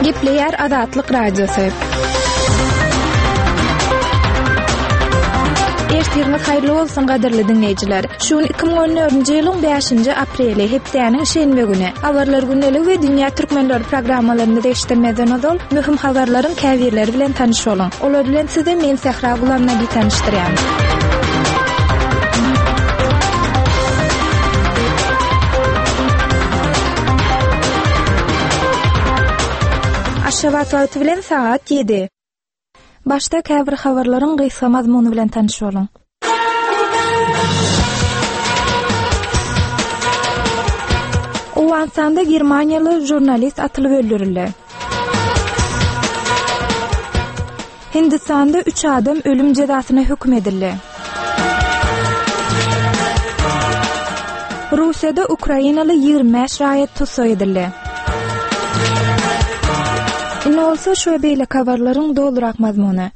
Gepleýär Azatlyk Radiosy. Ertiriňiz haýyrly bolsun gadyrly diňleýjiler. Şu gün 2014-nji ýylyň 5-nji apreli, hepdäniň şenbe güni. Habarlar gündeligi we Dünýä türkmenleri programmalarymyzy eşitdirmezden ozal, möhüm habarlaryň käbirleri bilen tanyş boluň. Olar bilen sizi men Sähra Gulamnabi tanyşdyrýan. Aşgabat wagty bilen sagat 7. Başda käbir habarlaryň gysga mazmuny bilen tanyş boluň. Owganystanda germaniýaly žurnalist atylyp öldürildi. Hindistanda üç adam ölüm jezasyna höküm edildi. Russiýada ukrainaly 25 raýat tussag edildi. Indi bolsa şu we beýleki habarlaryň dolurak mazmuny.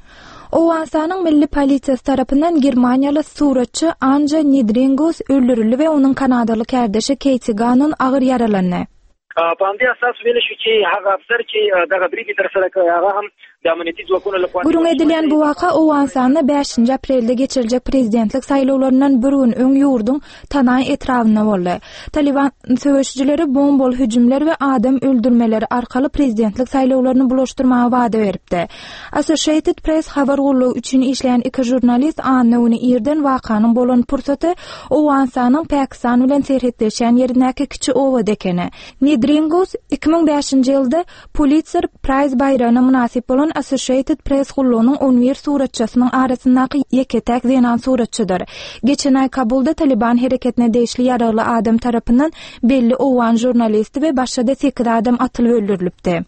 Owganystanyň milli polisiýasy tarapyndan germaniýaly suratçy Anja Nidringus öldürildi we onuň kanadaly kärdeşi Keýti Gannon agyr ýaralandy. په همدې اساس ویل شو چې هغه افسر چې دغه برید یې ترسره کړی هغه هم د امنیتي ځواکونو لخوا Gürrüň edilýän bu waka Owganystanda bäşinji aprelde geçiriljek prezidentlik saýlawlaryndan bir gün öň ýurduň Tanaý etrabynda boldy. Talyban söweşijileri bombaly hüjümler we adam öldürmeleri arkaly prezidentlik saýlawlaryny bulaşdyrmaga wada beripdi. Associated Press habar gullugy üçin işleýän iki žurnalist anna güni irden wakanyň bolan pursaty Owganystanyň Pakistan bilen serhetleşýän ýerindäki kiçi obada ekeni. Nidringus 2005-nji ýylda Pulitzer Prize baýragyna mynasyp bolan Associated Press gullugynyň on bir suratçysynyň arasyndaky ýeke-täk zenan suratçydyr. Geçen aý Kabulda Talyban hereketine degişli ýaragly adam tarapyndan belli owgan žurnalisti we başga-da sekiz adam atylyp öldürilipdi.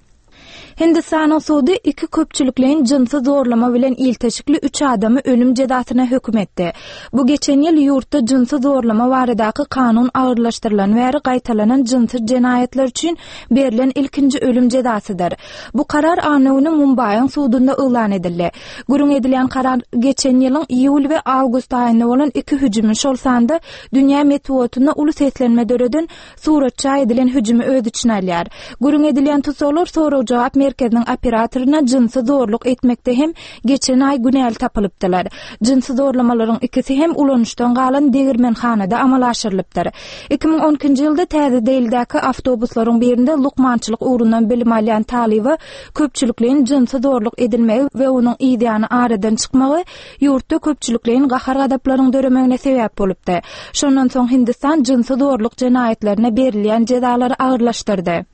Hindistanyň sudy iki köpçülikleýin jynsy zorlama bilen ilteşikli üç adamy ölüm jezasyna höküm etdi. Bu geçen ýyl ýurtda jynsy zorlama baradaky kanun agyrlaşdyrylany bäri gaýtalanan jynsy jenaýatlar üçin berlen ilkinji ölüm jezasydyr. Bu karar anna güni Mumbaýyň sudunda yglan edildi. Gürrüň edilýän karar geçen ýylyň iýul we awgust aýynda bolan iki hüjümi, şol sanda dünýä metbugatynda uly seslenme döreden Suratça edilen hüjümi öz içine alýar. Gürrüň edilýän tussaglar sorag-jogap merkeziniň operatoryna jynsy zorluk etmekde hem geçen aý günäli tapylypdylar. Jynsy zorlamalaryň ikisi hem ulanyşdan galan degirmenhanada amala aşyrylypdyr. 2012-nji ýylda Täze Delidäki awtobuslaryň birinde lukmançylyk ugrundan bilim alýan talyba köpçülikleýin jynsy zorluk edilmegi we onuň yzýany aradan çykmagy ýurtda köpçülikleýin gahar-gazaplaryň döremegine sebäp bolupdy. Şondan soň Hindistan jynsy zorluk jenaýatlaryna berilýän jezalary agyrlaşdyrdy.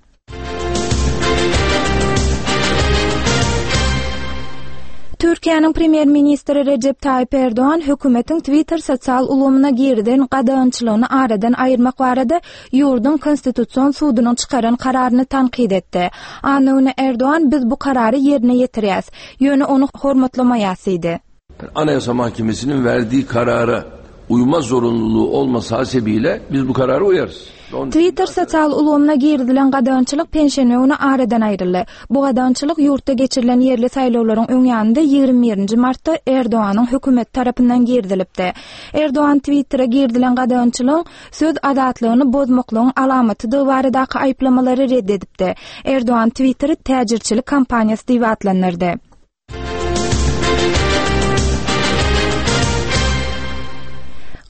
Türkiýäniň premýer-ministri Rejep Taýyp Erdogan hökümetiň Twitter sosial ulgamyna girizen gadagançylygyny aradan aýyrmak barada ýurduň Konstitusion sudunyň çykaran kararyny tankyt etdi. Anna güni Erdogan biz bu karary ýerine ýetirýäs. Ýöne ony hormatlamaýas diýdi. Anayasa Mahkemesi'nin verdiği karara uyma zorunluluğu olması hasebiyle biz bu karara uyarız. Twitter sosial ulgamyna girizilen gadagançylyk penşenbe güni aradan aýryldy. Bu gadagançylyk ýurtda geçirilen ýerli saýlawlaryň öň ýanynda 21-nji martda Erdoganyň hökümeti tarapyndan girizilipdi. Erdogan Twittere girizilen gadagançylygyň söz azatlygyny bozmaklygyň alamatydygy baradaky aýyplamalary red edipdi. Erdogan Twitteri täjirçilik kampaniýasy diýip atlandyrdy.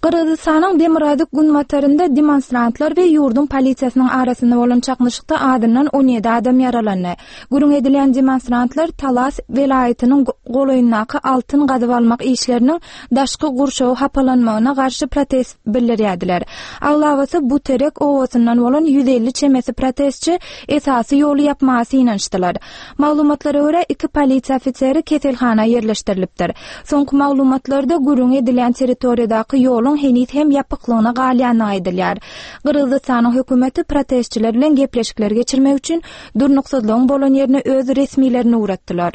Gyrgyzystanyň demirgazyk-günbatarynda demonstrantlar we ýurduň polisiýasynyň arasynda bolan çaknyşykda azyndan 17 adam ýaralandy. Gürrüň edilýän demonstrantlar Talas welaýatynyň golaýyndaky altyn gazyp almak işleriniň daşky gurşawy hapalanmagyna garşy protest bildirýärdiler. Aglabasy Buterek obasyndan bolan 150 çemesi protestçi esasy ýoly ýapmaga synanyşdylar. Maglumatlara görä, iki polisiýa ofiseri keselhana ýerleşdirilipdir. Soňky maglumatlarda gürrüňi edilýän territoriýadaky ýoluň heniz hem ýapyklygyna galýandygy aýdylýar. Gyrgyzystanyň hökümeti protestçiler bilen gepleşikler geçirmek üçin durnuksyzlygyň bolan ýerine öz resmilerini ugratdylar.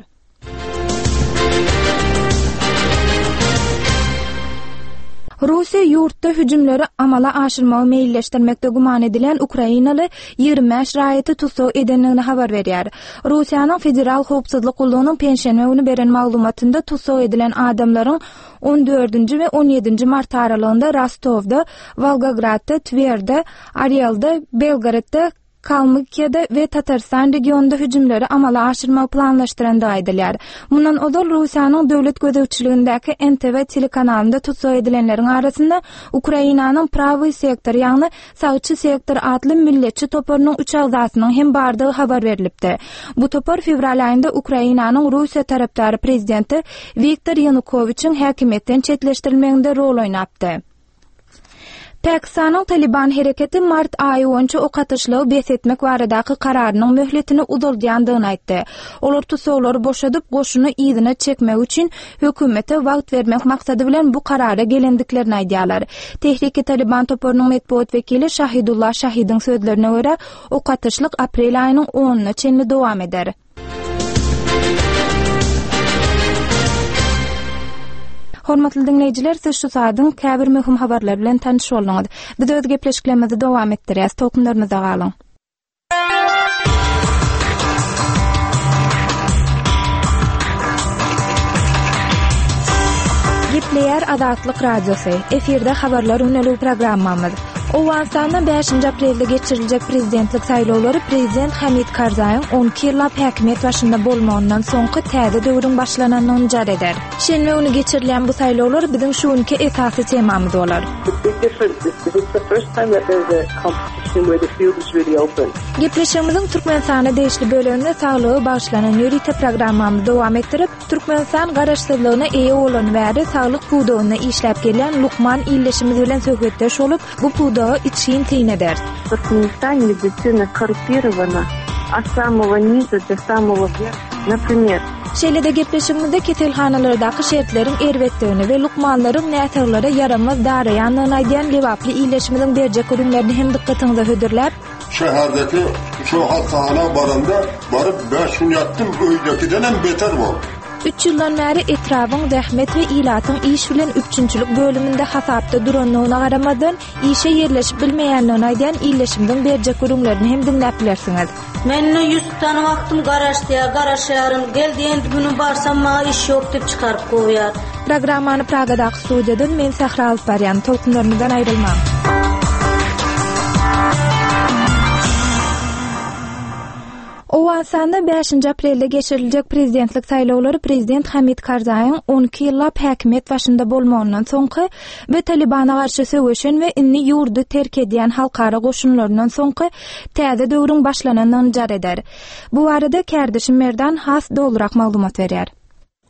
Russiýa ýurtda hüjümleri amala aşyrmagy meýilleşdirmekde güman edilýän ukrainaly 25 raýaty tussag edendigini habar berýär. Russiýanyň Federal howpsuzlyk gullugynyň penşenbe güni beren maglumatynda tussag edilen adamlaryň on dördünji we on ýedinji mart aralygynda Rostowda, Wolgogradda, Twerde, Orelde, Belgorodda, Kalmykiýada we Tatarystan regionynda hüjümleri amala aşyrmagy planlaşdyrandygy aýdylýar. Mundan ozal Russiýanyň döwlet gözegçiligindäki NTV telekanalynda tussag edilenleriň arasynda Ukrainanyň Prawyý sektor, ýagny Sagçy sektor atly milletçi toparynyň üç agzasynyň hem bardygy habar berlipdi. Bu topar fewral aýynda Ukrainanyň Russiýa tarapdary prezidenti Wiktor Ýanukowiçiň häkimiýetden çetleşdirilmeginde rol oýnapdy. Pakistanyň Talyban hereketi mart aýy boýunça ok atyşlygy bes etmek baradaky kararynyň möhletini uzaldýandygyny aýtdy. Olar tussaglary boşadyp, goşuny yzyna çekmegi üçin hökümete wagt bermek maksady bilen bu karara gelendiklerini aýdýarlar. Tehriki-Talyban toparynyň metbugat wekili Şahidullah Şahidiň sözlerine görä, ok atyşlyk aprel aýynyň onuna çenli dowam eder. Hormatly diňleýjiler, siz şu saadyň käbir möhüm habarlary bilen tanyş bolduňyz. Biz öz gepleşiklerimizi dowam etdirýäs. Tolkunlarymyzda galyň. Gepleýär Azatlyk Radiosy. Efirde habarlar güneligi programmamyz. Owganystanda bäşinji aprelde geçiriljek prezidentlik saýlawlary prezident Hamid Karzaýyň 12 ýyllap häkimiýet başynda bolmagyndan soňky täze döwrüň başlananyny jar eder. Şenbe güni geçirilýän bu saýlawlar biziň şu günki esasy temamyz bolar. Gepleşigimiziň Türkmenistana degişli böleginde saglyga bagyşlanan ýörite programmamyzy dowam etdirip, Türkmenistan Garaşsyzlygyna eýe bolany bäri saglyk pudagynda işläp gelýän lukman ildeşimiz bilen söhbetdeş bolup, bu pudaga içgin syn ederis. Türkmenistan medisina korrupirowany ot samogo niza do samogo werha, naprimer. Şeýle-de gepleşigimizde keselhanalardaky şertleriň erbetdigini we lukmanlaryň näsaglara ýaramaz daraýandygyny aýdýan lebaply ildeşimiziň berjek gürrüňlerini hem dykgatyňyza hödürläp, Şäherdeki şo hassahana baranda baryp bäş gün ýatdym öýdekidenem beter boldy. Üç ýyldan bäri etrabyň zähmet we ilatyň iş bilen üpjünçilik bölüminde hasapda durandygyna garamazdan, işe ýerleşip bilmeýändigini aýdýan ildeşimiziň berjek gürrüňlerini hem diňläp bilersiňiz. Mende ýüz tutan wagtym garaşdýar, garaşýaryn, gel diýen güni barsam maňa iş ýok diýip çykaryp kowýar. Programmany Pragadaky studiýadan men Sähra alyp barýan. Tolkunlarymyzdan aýrylmaň. Owganystanda bäşinji aprelde geçiriljek prezidentlik saýlawlary prezident Hamid Karzaýyň 12 ýyllap häkimiýet başynda bolmagyndan soňky we Talybana garşy söweşen we indi ýurdy terk edýän halkara goşunlaryndan soňky täze döwrüň başlanandygyny jar eder. Bu barada kärdeşim Merdan has dolurak maglumat berýär.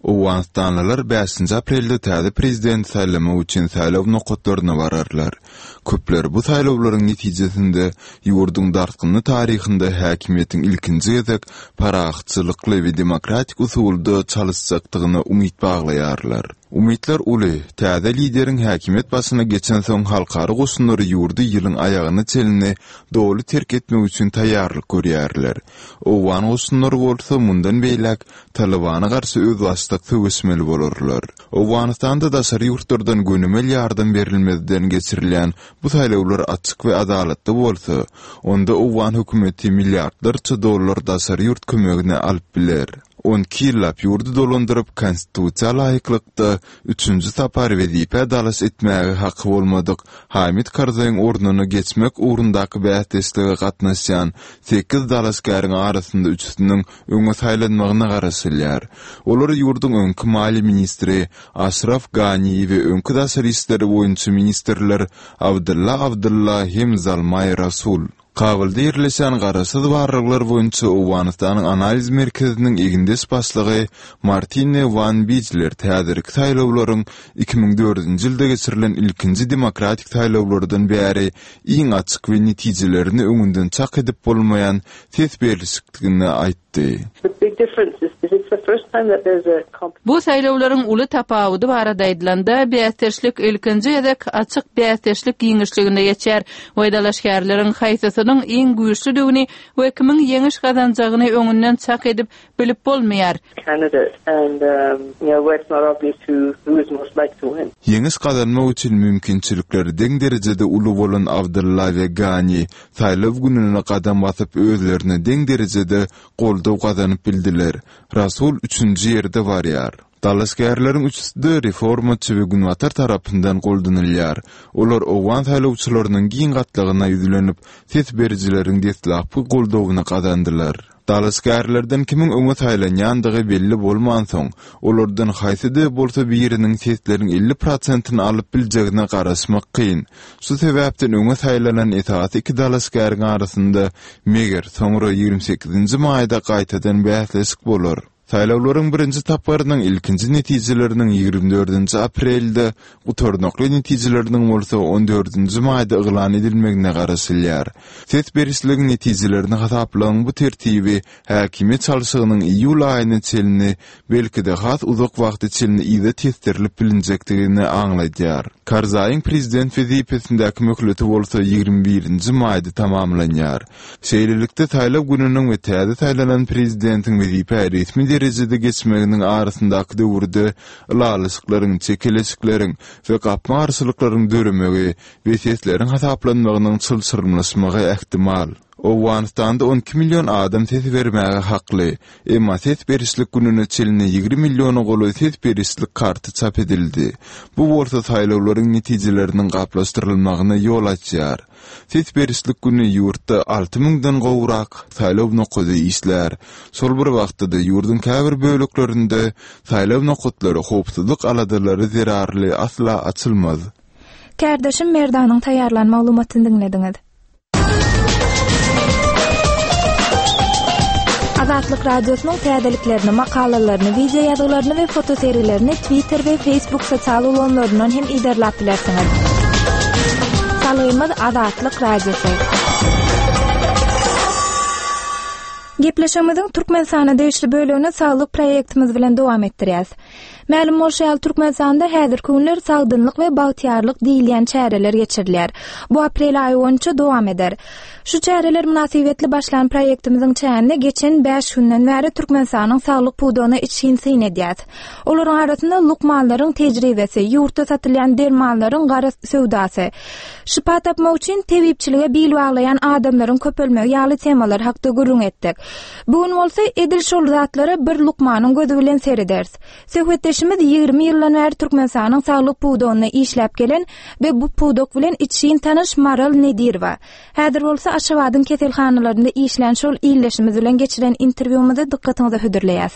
Owganystanlylar bäşinji aprelde täze prezidenti saýlamak üçin saýlaw nokatlaryna bararlar. Köpler bu saýlawlaryň netijesinde ýurduň dartgynly taryhynda häkimiýetiň ilkinji gezek parahatçylykly we demokratik usulda çalyşjakdygyna umyt baglaýarlar. Umytlar uly, täze lideriň häkimiýet başyna geçensoň halkara goşunlary ýurdy ýylyň aýagyna çenli doly terk etmek üçin taýýarlyk görýärler. Owgan goşunlary bolsa mundan beýläk Talybana garşy özbaşdak söweşmeli bolarlar. Owganystanda daşary ýurtlardan gönümel ýardam berilmezden geçirilýän bu saýlawlar açyk we adalatly bolsa, onda owgan hökümeti milliardlarça dollar daşary ýurt kömegini alyp biler. 12 ýyllap ýurdy dolandyryp, konstitusiýa laýyklykda üçünji sapar wezipä dalaş etmäge haky bolmadyk Hamid Karzaýyň ornuna geçmek ugrundaky bäsdeşlige gatnaşýan sekiz dalaşgäriň arasynda üçüsiniň öňe saýlanmagyna garaşylýar. Olar ýurduň öňki maliýe ministri Aşraf Gani we öňki daşary işler boýunça ministrler Abdylla Abdylla hem Zalmaý Rasul. Kabulda ýerleşýän Garaşsyz barlaglar boýunça Owganystanyň analiz merkeziniň egindeş başlygy Martine Wan Bijlert häzirki saýlawlaryň 2004-nji ýylda geçirilen ilkinji demokratik saýlawlardan bäri iň açyk we netijelerini öňünden çak edip bolmaýan ses berlişikdigini aýtdy. Bu saýlawlaryň uly tapawudy barada aýdylanda, bäsdeşlik ilkinji gezek açyk bäsdeşlik giňişliginde geçýär we dalaşgärleriň haýsysynyň iň güýçlüdigini we kimiň ýeňiş gazanjagyny öňünden çak edip bilip bolmaýar. Ýeňiş gazanmak üçin mümkinçilikleri deň derejede uly bolan Abdylla we Gani saýlaw gününe gadam basyp özlerine deň derejede goldaw gazanyp bildiler. Rasul üçünji ýerde barýar. Dalaşgärleriň üçüsi-de reformaçy we Günbatar tarapyndan goldanylýar. Olar owgan saýlawçylarynyň giň gatlagyna ýüzlenip, ses berijileriň deslapky goldawyny gazandylar. Dalaşgärlerden kimiň öňe saýlanýandygy belli bolmansoň, olardan haýsy-da bolsa biriniň sesleriň 50 prosentini alyp biljegine garaşmak kyn. Şu sebäpden öňe saýlanan esasy iki dalaşgäriň arasynda, meger, soňra 28-nji maýda gaýtadan bäsleşik bolar. Saýlawlaryň birinji tapgyrynyň ilkinji netijeleriniň 24-nji aprelde, gutarnykly netijeleriniň bolsa on dördünji maýda yglan edilmegine garaşylýar. Ses berişligiň netijelerini hasaplagyň bu tertibi häkimiýet çalşygynyň iýul aýyna çenli, belki-de has uzak wagta çenli yza tesdirilip bilinjekdigini aňladýar. Karzaýyň prezident wezipesindäki möhleti bolsa 21-nji maýda tamamlanýar. Şeýlelikde, saýlaw gününiň we täze saýlanan prezidentiň wezipä resmi derejede geçmeginiň arasyndaky döwürde ylalaşyklaryň, çekeleşikleriň we gapma-garşylyklaryň döremegi we sesleriň hasaplanmagynyň çylşyrymlaşmagy ähtimal. Owganystanda 12 million adam ses bermäge hakly. Emma ses berişlik gününe çenli 20 milliona golaý ses berişlik karty çap edildi. Bu bolsa saýlawlaryň netijeleriniň gaplaşdyrylmagyna ýol açýar. Ses berişlik güni ýurtda alty müňden gowrak saýlaw nokady işlär. Şol bir wagtda-da ýurduň käbir böleklerinde saýlaw nokatlary howpsuzlyk aladalary zerarly asla açylmaz. Kärdeşim Merdanyň taýýarlan maglumatyny diňlediňiz. Azatlyk Radiosynyň täzeliklerini, makalalaryny, wideo ýazgylaryny we fotosergilerini Twitter we Facebook sosial ulgamlaryndan hem yzarlap bilersiňiz. Salgymyz Azatlyk Radiosy. Gepleşigimiziň Türkmenistana degişli bölegini saglyk proýektimiz bilen dowam etdirýäs. Mälim bolşy ýaly, Türkmenistanda häzirki günler Sagdynlyk we bagtyýarlyk diýilýän çäreler geçirilýär. Bu aprel aýy boýunça dowam eder. Şu çäreler mynasybetli başlan proýektimiziň çäginde geçen bäş günden bäri Türkmenistanyň saglyk pudagyna içgin syn edýäs. Olaryň arasynda lukmanlaryň tejribesi, ýurtda satylýan dermanlaryň gara söwdasy, şypa tapmak üçin tebipçilige bil baglaýan adamlaryň köpelmegi ýaly temalar hakda gürrüň etdik. Bu gün bolsa edil şol zatlara bir lukmanyň gözi bilen serederis. Söhbetdeşimiz 20 ýyldan bäri Türkmenistanyň saglyk pudagynda işläp gelen we bu pudak bilen içgin tanyş Maral Nedirowa. Häzir bolsa Aşgabadyň keselhanalarynda işlän şol ildeşimiz bilen geçiren interwýumyzy dykgatyňyza hödürleýäs.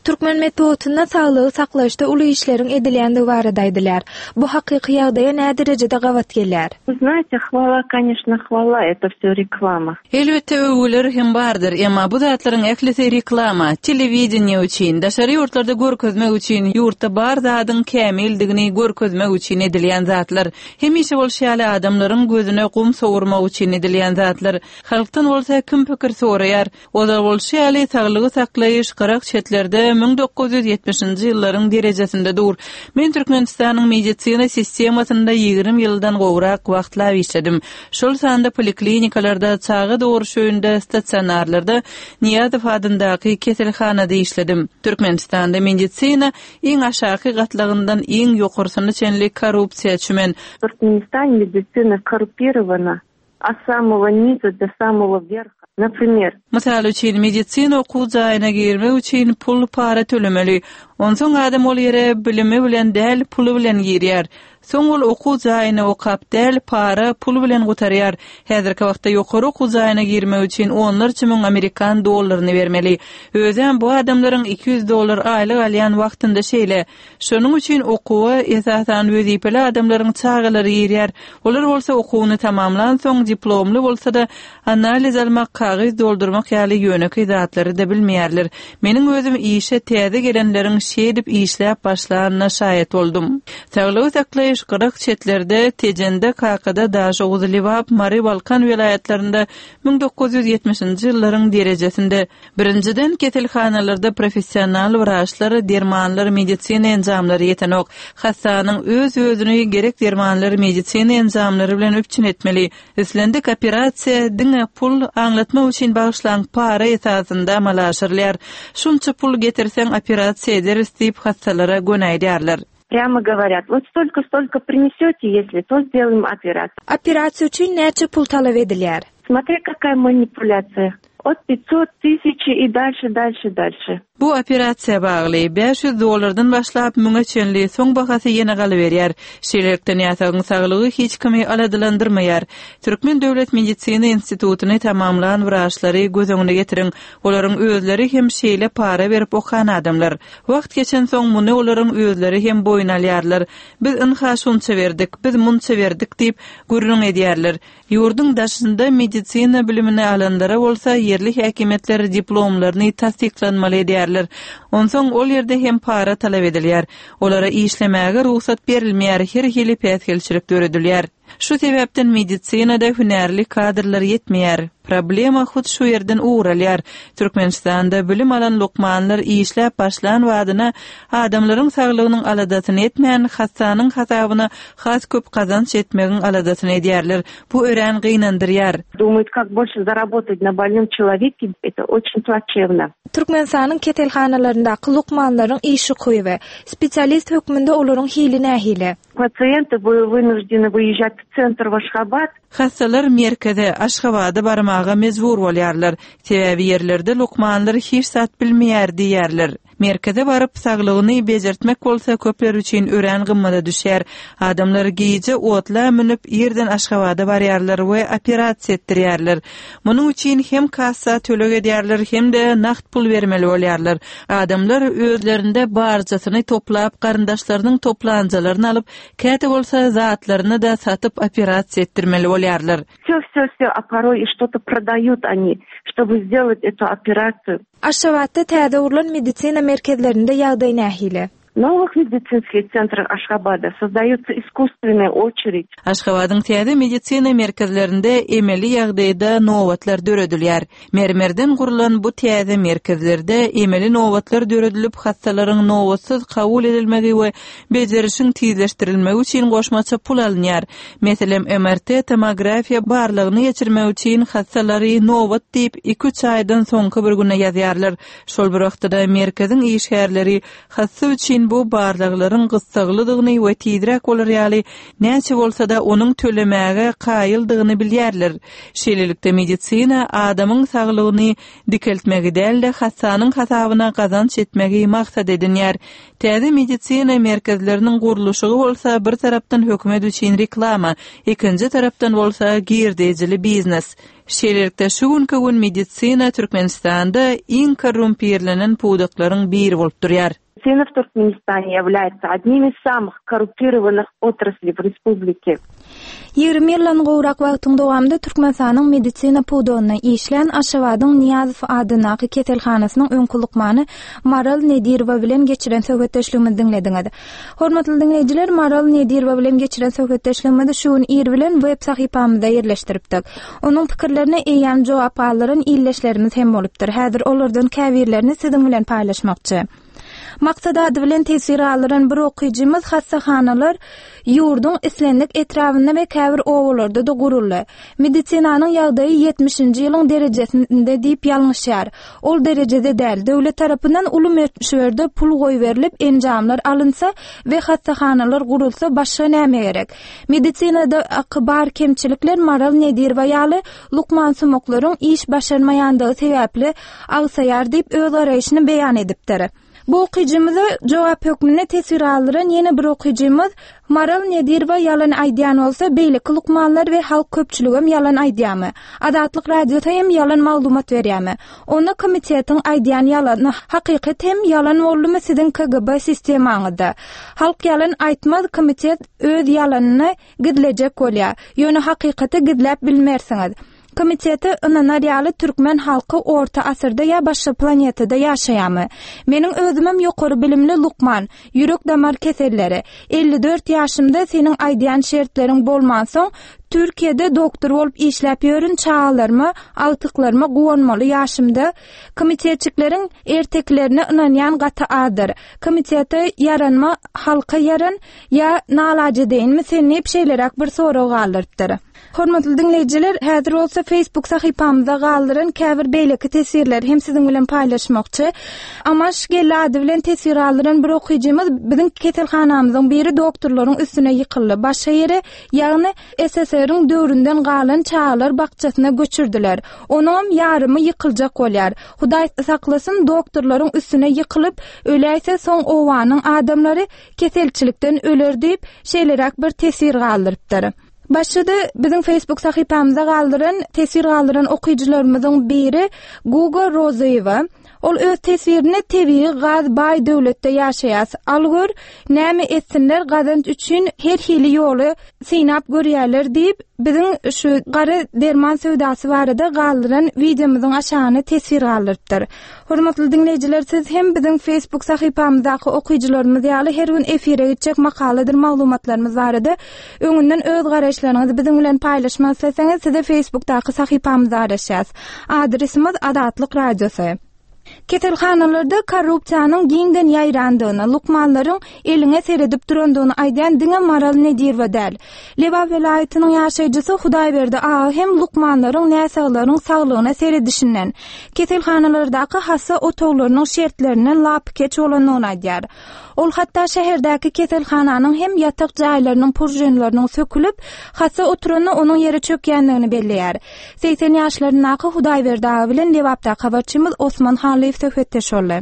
Türkmen metbugatynda saglygy saklaýyşda uly işleriň edilýändigi barada aýdylýar. Bu hakyky ýagdaýa näderejede gabat gelýär? Вы знаете, хвала, конечно, хвала, это всё реклама. Elbetde öwgüler hem bardyr, emma bu zatlaryň ählisi reklama, telewideniýe üçin, daşary ýurtlarda görkezmek üçin, ýurtda bar zadyň kämildigini görkezmek üçin edilýän zatlar. Hemişe bolşy ýaly adamlaryň gözüne gum sowurmak üçin edilýän zatlar. Halkdan bolsa kim pikir soraýar? Ozal bolşy ýaly, saglygy saklaýyş gyrak-çetlerde 1970-nji ýyllaryň derejesinde dur. Men Türkmenistanyň medisina sistemasynda 20 ýyldan gowrak wagtlap işledim. Şol sanda poliklinikalarda, çaga dogruş öýünde, stasionarlarda, Nyýazow adyndaky keselhanada işledim. Türkmenistanda medisina iň aşaky gatlagyndan iň ýokarsyna çenli korrupsiýa çümen. Türkmenistane medisina korrupirowана От samogo niza do samogo werha. Naprimer. Mysal üçin, medisina okuw jaýyna girmek üçin pul, para tölemeli. Onsoň adam ol ýere bilimi bilen däl, puly bilen girýär. Soň ol okuw jaýyny okap däl, para, pul bilen gutarýar. Häzirki wagtda ýokary okuw jaýyna girmek üçin onlarça müň amerikan dollaryny bermeli. Özem bu adamlaryň 200 dollar aýlyk alýan wagtynda şeýle. Şonuň üçin okuwa, esasan, wezipeli adamlaryň çagalary girýär. Olar bolsa okuwyny tamamlansoň, diplomly bolsa-da, analiz almak, kagyz doldurmak ýaly ýönekeý zatlary-da bilmeýärler. Meniň özüm işe täze gelenleriň şeýdip işläp başlanyna şaýat boldum. Saglygy saklaýyş gyrak-çetlerde, Tejende, Kakada, Daşoguz, Lebap, Mary, Balkan welaýatlarynda 1970-nji ýyllaryň derejesinde. Birinjiden, keselhanalarda professional wraçlar, dermanlar, medisina enjamlary ýetenok. Hassanyň öz-özüni gerek dermanlar, medisina enjamlary bilen üpjün etmeli. Islendik operasiýa diňe pul, aňlatmak üçin bagyşlaň para esasynda amala aşyrylýar. Şunça pul getirseň operasiýa ederis diýip hassalara göni aýdýarlar. Prýamo goworýat, wot stolko stolko prinesete, ýesli, to sdelým operasiýu. Operasiýa üçin näçe pul talap edilýär? Smotri kakaýa manipulýasiýa. Ot pitsot tysyçi i dalşe dalşe dalşe. Bu operasiýa bagly, 500 dollardan başlap müňe çenli, soň bahasy ýene galyberýär. Şeýlelikde, näsagyň saglygy hiç kimi aladalandyrmaýar. Türkmen döwlet medisina institutyny tamamlan wraçlary göz öňüne getiriň, olaryň özleri hem şeýle para berip okan adamlar. Wagt geçensoň muny olaryň özleri hem boýun alýarlar. Biz ynha şunça berdik, biz munça berdik diýip, gürrüň edýärler. Ýurduň daşynda medisina bilimini alanlara bolsa ýerli häkimiýetler diplomlaryny tassyklanmaly edýärler. Onsoň ol ýerde hem para talap edilýär. Olara işlemäge rugsat berilmeýär, her hili päsgelçilik döredilýär. Şu sebäpden medisinada hünärli kadrlar ýetmeýär. Problema hut şu ýerden ugur alýar. Türkmenistanda bilim alan lukmanlar işläp başlan badyna adamlaryň saglygynyň aladasyny etmän, hassanyň hasabyna has köp gazanç etmegiň aladasyny edýärler. Bu örän gynandyrýar. Думают, как больше заработать на больном человеке, это очень плачевно. Türkmenistanyň keselhanalaryndaky lukmanlaryň iş ukyby, spesialist hökmünde olaryň hili nähili? Pasienty wynujdyny wyýežžat w sentr w Aşgabat. Hassalar merkeze, Aşgabada barmaga mejbur bolýarlar. Sebäbi ýerlerde lukmanlar hiç zat bilmeýär diýýärler. Merkeze baryp, saglygyny bejertmek bolsa köpler üçin örän gymmada düşýär. Adamlar gije otla münüp, irden Aşgabada barýarlar we operasiýa etdirýärler. Munuň üçin hem kassa töleg edýärler, hem-de nagt pul bermeli bolýarlar. Adamlar özlerinde barjasyny toplap, garyndaşlarynyň toplanjalaryny alyp, käte bolsa zatlaryny-da satyp operasiýa etdirmeli bolýarlar. Vsё, vsё, vsё, a poroý i çto-to prodaýut oni, çtoby sdelat etu operasiýu. Aşgabatda täze gurlan medisina merkezlerinde ýagdaý nähili? Nowych medisinskih sentrah Aşgabada sozdaýutsa iskusstwennaya oçeredь. Aşgabadyň täze medisina merkezlerinde emeli ýagdaýda nobatlar döredilýär. Mermerden gurlan bu täze merkezlerde emeli nobatlar döredilip, hassalaryň nobatsyz kabul edilmegi we bejerişiň tizleşdirilmegi üçin goşmaça pul alynýar. Meselem, MRT tomografiýa barlagyny geçirmek üçin hassalary nobat diýip, iki-üç aýdan soňky bir güne ýazýarlar. Şol bir wagtda-da merkeziň işgärleri Hassa üçin bu barlaglaryň gyssaglydygyny we tizräk bolar ýaly, näçe bolsa-da onuň tölemäge kaýyldygyny bilýärler. Şeýlelikde, medisina adamyň saglygyny dikeltmegi däl-de, hassanyň hasabyna gazanç etmegi maksat edinýär. Täze medisina merkezleriniň gurluşygy bolsa bir tarapdan hökümet üçin reklama, ikinji tarapdan bolsa girdejili biznes. Şeýlelikde, şu günki gün medisina Türkmenistanda iň korrumpirlenen pudaklaryň biri bolup durýar. Medisina w Turkmenistane ýawlýaetsa odnim iz samyh korrupirowanyh otrasli w respublike. 20 ýyldan gowrak wagtyň dowamynda Türkmenistanyň medisina pudagynda işlän Aşgabadyň Nyýazow adyndaky keselhanasynyň öňki lukmany Maral Nedirowa bilen geçiren söhbetdeşligimizi diňlediňiz. Hormatly diňleýjiler, Maral Nedirowa bilen geçiren söhbetdeşligimizi şu gün ir bilen web sahypamyzda ýerleşdiripdik. Onuň pikirlerine eýýäm jogap galdyran ildeşlerimiz hem bolupdyr. Häzir olardan käbirlerini siziň bilen paýlaşmakçy. Maksat ady bilen teswir galdyran bir okyjymyz hassahanalar ýurduň islendik etrabynda we käbir obalarda-da guruldy. Medisinanyň ýagdaýy ýetmişinji ýylyň derejesinde diýip ýalňyşýar. Ol derejede däl. Döwlet tarapyndan uly möçberde pul goýberilip, enjamlar alynsa we hassahanalar gurulsa başga näme gerek? Medisinadaky bar kemçilikler Maral Nedirowa ýaly lukmansumaklaryň iş başarmaýandygy sebäpli agsaýar diýip öz garaýşyny beýan edipdir. Bu okyjymyza jogap hökmünde teswir galdyran ýene bir okyjymyz, Maral Nedirowa ýalan aýdýan bolsa, beýleki lukmanlar we halk köpçüligem ýalan aýdýamy? Azatlyk Radiosy hem ýalan maglumat berýämi? Onda komitetiň aýdýan ýalany hakykat hem ýalan boldumy siziň KGB sistemaňyzda? Halk ýalan aýtmaz komitet öz ýalanyny gizlejek bolýar. Ýöne hakykaty gizläp bilmersiňiz. Komitete ynanar ýaly türkmen halky orta asyrda ýa başga planetada ýaşaýamy? Meniň özümem ýokary bilimli lukman, ýürek damar keselleri. 54 ýaşymda seniň aýdýan şertleriň bolmansoň Türkiýede doktor bolup işläp ýörün çagalaryma, agtyklaryma guwanmaly ýaşymda komitetçikleriň ertekilerine ynanýan gaty azdyr. Komitete ýaranma halka ýaran ýa nalajedeýinmi sen diýip şeýleräk bir sorag galdyrypdyr. Hormatly diňleýjiler, häzir bolsa Facebook sahypamyzda galdyran käbir beýleki teswirleri hem siziň bilen paýlaşmakçy. Amaş Geldi ady bilen teswir galdyran bir okyjymyz biziň keselhanamyzyň biri doktorlaryň üstüne ýykyldy. Başga ýere, ýagny SSR. SSR-iň döwründen galan çagalar bakjasyna göçürdiler. Onuňam ýarymy ýykyljak bolýar. Hudaý saklasyn, doktorlaryň üstüne ýykylyp, öläýse soň obanyň adamlary keselçilikden öler diýip, şeýleräk bir teswir galdyrypdyr. Başga-da biziň Facebook sahypamyzda galdyran teswir galdyran okyjylarymyzyň biri Guga Rozyýewa. Ol öz teswirinde tebigy gaz baý döwletde ýaşaýas. Al gör, näme etsinler gazanç üçin her hili ýoly synap görýärler diýip, biziň şu gara derman söwdasy barada galdyran wideomyzyň aşagyna teswir galdyrypdyr. Hormatly diňleýjiler siz hem biziň Facebook sahypamyzdaky okyjylarymyz ýaly her gün efire gitjek makaladyr maglumatlarymyz barada öňünden öz garaýyşlaryňyzy biziň bilen paýlaşmak isleseňiz size Facebookdaky sahypamyzda garaşýas. Adresimiz Azatlyk Radiosy. Keselhanalarda korrupsiýanyň giňden ýaýrandygyny, lukmanlaryň eliňe seredip durandygyny aýdýan diňe Maral Nedirowa däl. Lebap welaýatynyň ýaşaýjysy Hudaýberdi aga hem lukmanlaryň näsaglaryň saglygyna seredişinden, keselhanalardaky hassa otaglarynyň şertlerinden lapykeç bolandygyny aýdýar. Ol hatda şäherdäki keselhananyň hem ýatak jaýlarynyň puržinleriniň sökülip, hassa oturanda onuň ýere çökýändigini belleýär. 80 ýaşlaryndaky Hudaýberdi aga bilen Lebapdaky habarçymyz Osman Hallyýew söhbetdeş boldy.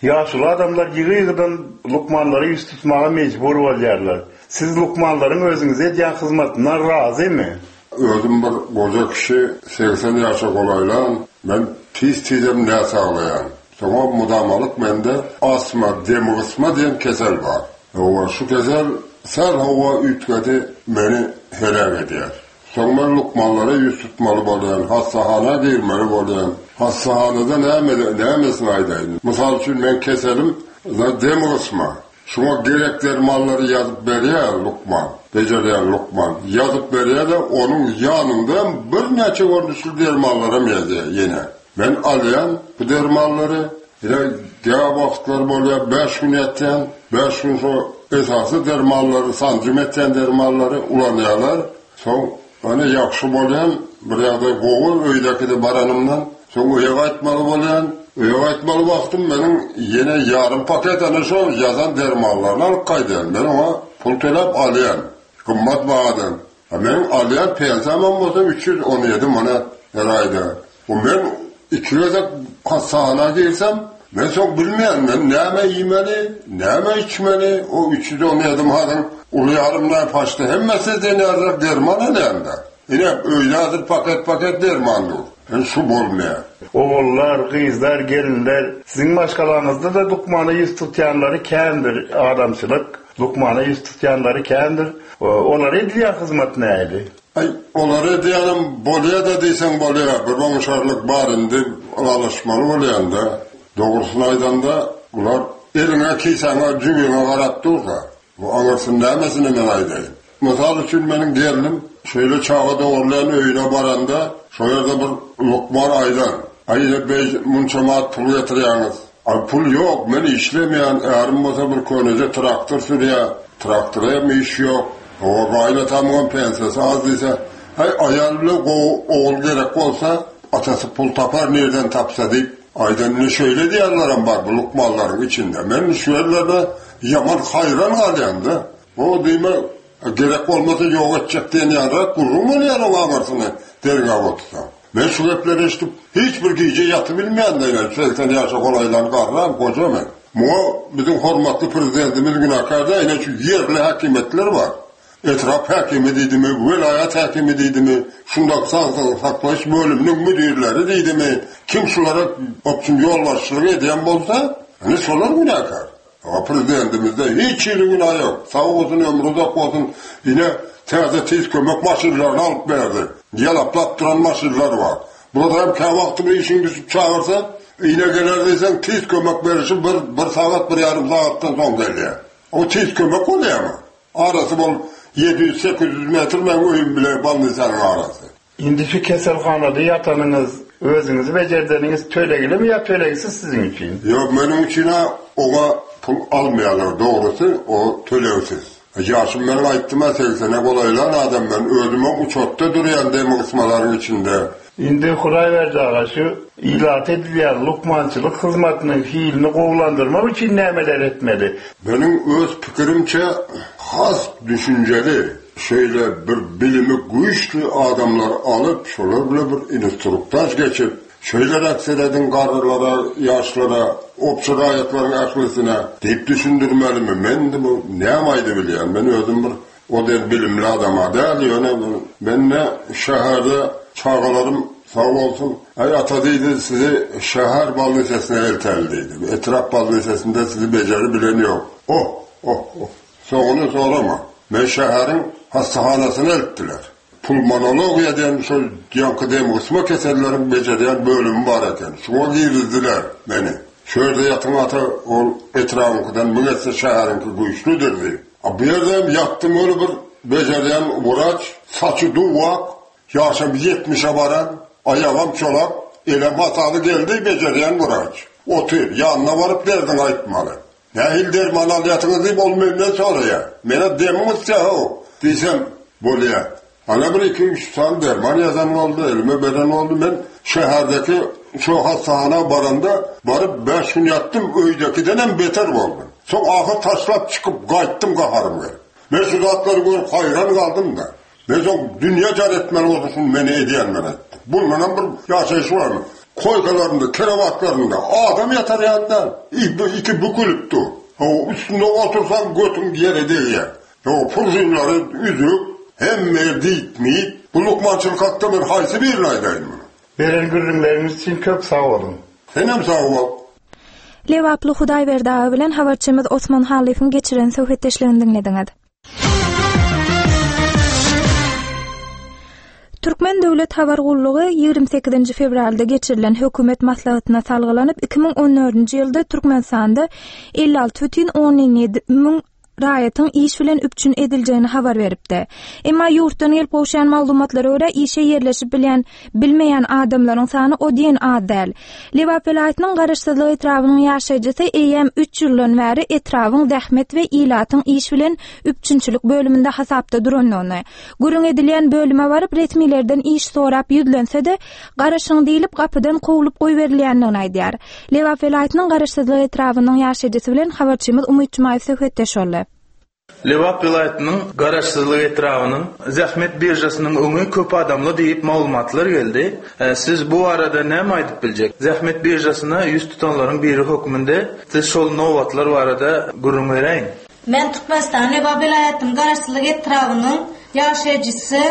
Ýaşuly adamlar ýygy-ýygydan lukmanlara ýüz tutmaga mejbur bolýarlar. Siz lukmanlaryň özüňize edýän hyzmatyndan razymy? Özüm bir goja kişi, 80 ýaşa golaýlan, men tiz-tizem näsaglaýan. Soňa mudamalyk mende astma, demgysma diýen kesel bar. Hawa, şu kesel sähel howa üýtgedi, meni heläk edýär. Soň men lukmanlara ýüz tutmaly bolýan, hassahana girmeli bolýan. Hassahanada näme, nämesini aýdaýyn. Mysal üçin, meň keselim demgysma. Şuňa gerek dermanlary ýazyp berýär lukman, bejerýän lukman. Ýazyp berýär-de, onuň ýanynda hem birnäçe görnüşli dermanlaram ýazýar ýene. Men alýan bu dermanlary, ine, kä wagtlar bolýar bäş gün ýatýan, bäş gün şo esasy dermanlary, sanjym etýän dermanlary ulanýarlar. Soň ine ýagşy bolýan, bir ýagdaý gowy öýdäkide baranymdan. Soň öýe gaýtmaly bolýan. Öýe gaýtmaly wagtym meniň ýene ýarym paket ana şo ýazan dermanlaryny alyp gaýdýan. Men oňa pul töläp alýan. Gymmat bahadan. A meniň alýan pensiýamam bolsa 317 manat her aýda. Bu men iki gezek hassahana girsem, men soň bilmeýän, men näme iýmeli, näme içmeli, o 317 manadyň uly ýarym näpaçda hemmesi diýen ýalyrak derman alýan-da. Ine, öýde hazir paket-paket derman dur. Ine, şu bolmaýar. Ogullar, gyzlar, gelinler, siziň maşgalaňyzda-da lukmana ýüz tutýanlary kändir, adamçylyk, lukmana ýüz tutýanlary kändir. Olara edilýän hyzmat nähili? Aý, olara edýänem bolýa-da diýseň bolýa, bir oňşarlyk bar indi, ylalaşmaly bolýan-da. Dogrusyny aýdanda, bular eliňe, kisäňe, jübiňe garap dur-da. Bu aňyrsyny nämesini men aýdaýyn. Mysal üçin, meniň gelnim şeýle çaga dogurlaýan öýüne baranda, şo ýerde bir lukman aýdan, Aý, ine, beý, munça manat pul getirýäňiz. Aý, pul ýok, men işlemeýän, ärim bolsa bir köneje traktor sürýär, traktora hem iş ýok. Hawa, gaýynatamyňam pensiýasy az diýse, Aý, aýal bilen gowy ogul gerek bolsa, atasy pul tapar, nirden tapsa diýip, aýdan. Indi şeýle diýýänlerem bar bu lukmanlaryň içinde. Men şu ýerlerde ýaman haýran galýan-da. O diýme, gerek bolmasa ýok etjek diýen ýalyrak gürrüň bolýar oň aňyrsyny derňäp otursaň. Men şu gepleri eşidip, hiç bir gije ýatybilmeýän-de, ine, 80 ýaşa golaýlan garram, goja men. Muňa biziň hormatly Prezidentimiz günäkär däl, ine, şu ýerli häkimiýetler bar. Etrap häkimi diýdimi, welaýat häkimi diýdimi, şundaky saglygy saklaýyş bölüminiň müdirleri diýdimi, kim şulara opçum ýolbaşçylyk edýän bolsa, ine, şolar günäkär. A prezidentimizde hiç hili günä ýok. Sag bolsun, ömri uzak bolsun. Ine, täze tiz kömek maşynlaryny alyp berdi. Ýalaplap duran maşynlar bar. Bular hem käwagty bir işiň düşüp çagyrsa, ine geler diýseň, tiz kömek berişi bir, bir sagat, bir ýarym sagatdan soň gelýär. O tiz kömek bolýarmy? Arasy bol 700-800 metr meň öýüm bile bolnisanyň arasy. Indi şu keselhanada ýatanyňyz, özüňizi bejerdeniňiz töleglimi ýa tölegsiz siziň üçin? Ýok, meniň üçin-ä oňa pul almaýarlar, dogrusy, o tölegsiz. Ýaşym meniň aýtdym-a, segsene golaýlan adam men, özümem uçotda durýan demgysmalaryň içinde. Indi Hudaýberdi aga, şu ilata edilýän lukmançylyk hyzmatynyň hilini gowulandyrmak üçin nämeler etmeli? Meniň öz pikirimçe, has düşünjeli. şeýle bir bilimi güýçli adamlary alyp, şolar bilen bir instruktaž geçip, şeýleräk serediň garrylara, ýaşlara, obşy raýatlaryň ählisine diýip düşündirmelimi? Men indi bu näme aýdybilýän? Men özüm bir o diýen bilimli adam-a däl, ýöne men-de şäherde çagalarym sag bolsun, Aý, ata diýdi, sizi şäher bolnisesine elteli diýdi. Etrap bolnisesinde sizi bejeribilen ýok. Oh, oh, oh! Soňuny sorama. Meni şäheriň hassahanasyna eltdiler. Pulmonologiýa diýen şol ýaňky demgysma keselleriň bejerýän bölümi bar eken. Şoňa girizdiler meni. Şu ýerde ýatyň ata, ol etrabyňkydan müň esse şäheriňki güýçlüdir diýip. A bu ýerde hem ýatdym weli bir bejerýän wraç, saçy duw-ak, ýaşam ýetmişe baran, aýagam çolak, elem hasaly geldi bejerýän wraç. Otyr, ýanyna baryp derdiňi aýtmaly. Nähili derman alýarsyňyz diýip, ol menden soraýar. Men-ä demiň gysýar-how diýsem, bolýar. Ana bir iki-üç sany derman ýazan boldy, elime beren boldy. Men şäherdeki şo hassahana baranda, baryp bäş gün ýatdym, öýdäkidenem beter boldum. Soň ahyr taşlap çykyp gaýtdym gaharym gelip. Men şu zatlary görüp haýran galdym-da. Men soň dünýä jar etmeli bolsa şuny men edýän men aýtdym. Bundanam bir ýaşaýyş barmy? Koýkalarynda, krewatlarynda adam ýatar ýaly däl. Iki bükülip dur. Hawa, üstünde otursaň götüň ýere degýär. Hawa, pružinlary üzük, hemme ýer diýip-miýip. Bu lukmançylyk hakda men haýsy birini aýdaýyn muny? Beren gürrüňleriňiz üçin köp sag boluň. Senem sag bol. Lebaply Hudaýberdi aga bilen habarçymyz Osman Hallyýewiň geçiren söhbetdeşligini diňlediňiz. Türkmen döwlet habar gullugy 28-nji fewralda geçirilen hökümet maslahatyna salgylanyp, 2014-nji ýylda Türkmenistanda 56,7 müň raýatyň iş bilen üpjün ediljegini habar beripdi. Emma ýurtdan gelip gowşan maglumatlara görä, işe ýerleşip bilýän bilmeýän adamlaryň sany o diýen az däl. Lebap welaýatynyň Garaşsyzlyk etrabynyň ýaşaýjysy eýýäm üç ýyldan bäri etrabyň zähmet we ilatyň iş bilen üpjünçilik bölüminde hasapda durandygyny, gürrüň edilýän bölüme baryp, resmilerden iş sorap ýüzlense-de, garaşyň diýlip, gapydan kowlup goýberilýändigini aýdýar. Lebap welaýatynyň Garaşsyzlyk etrabynyň ýaşaýjysy bilen habarçymyz Umyt Jumaýew söhbetdeş boldy. Lebap welaýatynyň Garaşsyzlyk etrabynyň zähmet biržasynyň öňi köp adamly diýip maglumatlar geldi. Siz bu barada näme aýdyp biljek? Zähmet biržasyna ýüz tutanlaryň biri hökmünde siz şol nobatlar barada gürrüň beräýiň. Men Türkmenistanyň Lebap welaýatynyň Garaşsyzlyk etrabynyň ýaşaýjysy.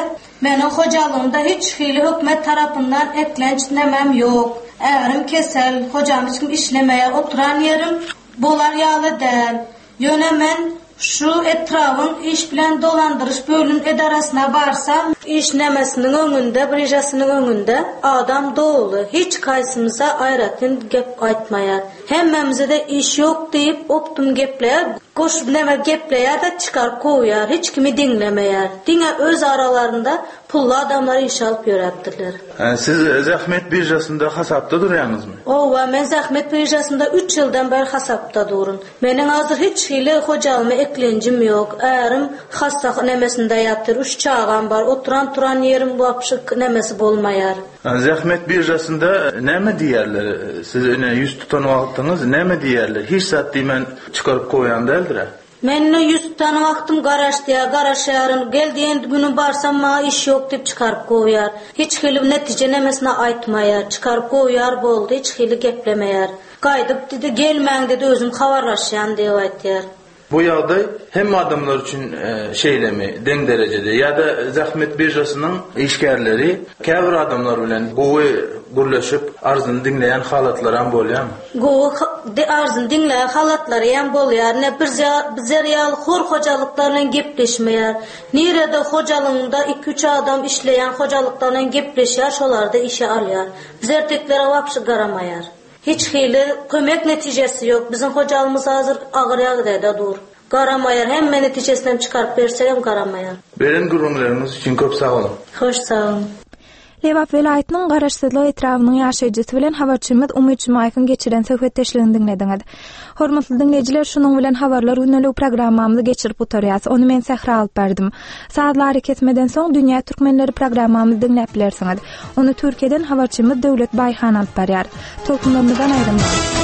Meniň hojalygymda hiç hili hökümet tarapyndan eklenç nämem ýok. Ärim kesel, hojam hiç kim işlemeýär, oturan ýerim bolar ýaly däl. Ýöne men şu etrabyň iş bilen dolandyryş bölüm edarasyna barsam, iş nemesiniň öňünde, biržasynyň öňünde adam doly, hiç haýsymyza aýratyn gep aýtmaýar. Hemmämize-de iş ýok diýip, optum gepleýär, goşup neme gepleýär-de çykaryp kowýar, hiç kimi diňlemeýär. Diňe öz aralarynda pully adamlary işe alyp ýöräpdirler. Siz zähmet biržasynda hasapda durýaňyzmy? Howwa, men zähmet biržasynda üç ýyldan bäri hasapda durun. Meniň hazir hiç hili hojalyma eklenjim ýok. Ärim hassa nemesinde ýatyr, üç çagam bar, oturan-turan ýerim wapşe nemesi bolmaýar. Zähmet biržasynda näme diýýärler? Siz ine ýüz tutan wagtyňyz näme diýýärler? Hiç zat diýmän çykaryp goýan däldir-ä? Men ine ýüz tutan wagtym garaş diýýär, garaşýaryn. Gel diýen günüm barsam maňa iş ýok diýip çykaryp kowýar. Hiç hili netije nemesini aýtmaýar. Çykaryp kowýar boldy, hiç hili geplemeýär. Gaýdyp diýdi, gelmäň diýdi, özüm habarlaşýan diýip aýtýar. Bu ýagdaý hemme adamlar üçin şeýlemi, deň derejede ýa-da zähmet biržasynyň işgärleri käbir adamlar bilen gowy gürleşip, arzyny diňleýän halatlaram bolýarmy? Gowy arzyny diňleýän halatlaryam bolýar. Ine, bizler ýaly hor hojalyklar bilen gepleşmeýär. Nirede hojalygyňda iki-üç adam işleýän hojalyklar bilen gepleşýär, şolarda işe alýar. Biz erteklere wapşy garamaýar. Hiç hili kömek netijesi ýok. Biziň hojalygymyz hazir agyr ýagdaýda dur. Garamaýar. Hemme netijesinem çykaryp bersegem garamaýar. Beren gürrüňleriňiz üçin köp sag boluň. Hoş sag boluň. Lebap welaýatynyň Garaşsyzlyk etrabynyň ýaşaýjysy bilen habarçymyz Umyt Jumaýewiň geçiren söhbetdeşligini diňlediňiz. Hormatly diňleýjiler, şunuň bilen Habarlar gündeligi programmamyzy geçirip gutarýas. Ony men Sähra alyp bardym. Sazly arakesmeden soň Dünýä türkmenleri programmamyzy diňläp bilersiňiz. Ony Türkiýeden habarçymyz Döwlet Baýhan alyp barýar. Tolkunlarymyzdan aýrylmaň.